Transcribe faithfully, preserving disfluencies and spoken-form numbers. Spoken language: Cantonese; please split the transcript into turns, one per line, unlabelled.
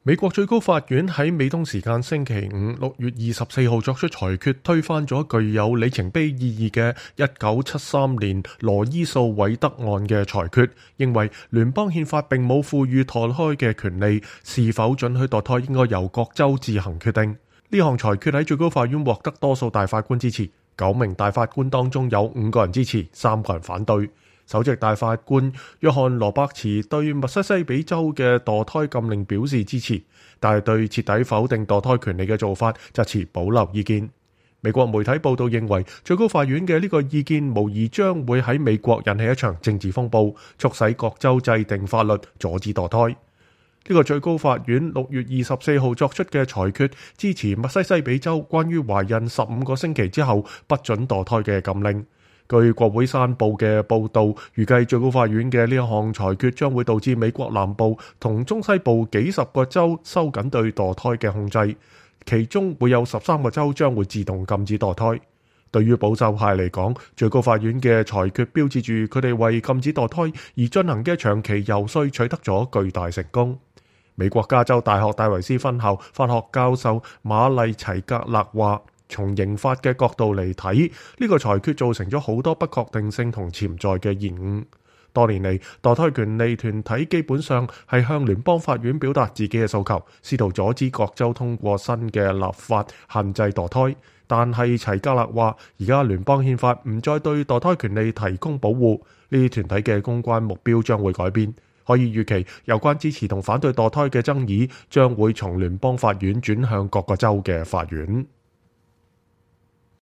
美國最高法院喺美東時間星期五六月二十四號作出裁決，推翻咗具有里程碑意義嘅一九七三年羅伊訴韋德案嘅裁決，認為聯邦憲法並冇賦予墮胎嘅權利，是否准許墮胎應該由各州自行決定。呢項裁決喺最高法院獲得多數大法官支持，九名大法官當中有五個人支持，三個人反對。首席大法官約翰羅伯茨對密西西比州嘅墮胎禁令表示支持，但係對徹底否定墮胎權利嘅做法就持保留意見。美國媒體報道認為，最高法院嘅呢個意見無疑將會喺美國引起一場政治風暴，促使各州制定法律阻止墮胎。呢個最高法院六月二十四號作出嘅裁決，支持密西西比州關於懷孕十五個星期之後不准墮胎嘅禁令。據國會山報嘅報導，預計最高法院嘅呢一項裁決將會導致美國南部同中西部幾十個州收緊對墮胎嘅控制，其中會有十三個州將會自動禁止墮胎。對於保守派嚟講，最高法院嘅裁決標誌住佢哋為禁止墮胎而進行嘅長期游說取得咗巨大成功。美國加州大學戴維斯分校法學教授瑪麗齊格勒話，從刑法嘅角度嚟睇，呢個裁決造成咗好多不確定性同潛在嘅延誤。多年嚟，墮胎權利團體基本上係向聯邦法院表達自己嘅訴求，試圖阻止各州通過新嘅立法限制墮胎。但係齊格勒話，而家聯邦憲法唔再對墮胎權利提供保護，呢啲團體嘅公關目標將會改變。可以預期，有關支持同反對墮胎嘅爭議將會從聯邦法院轉向各個州嘅法院。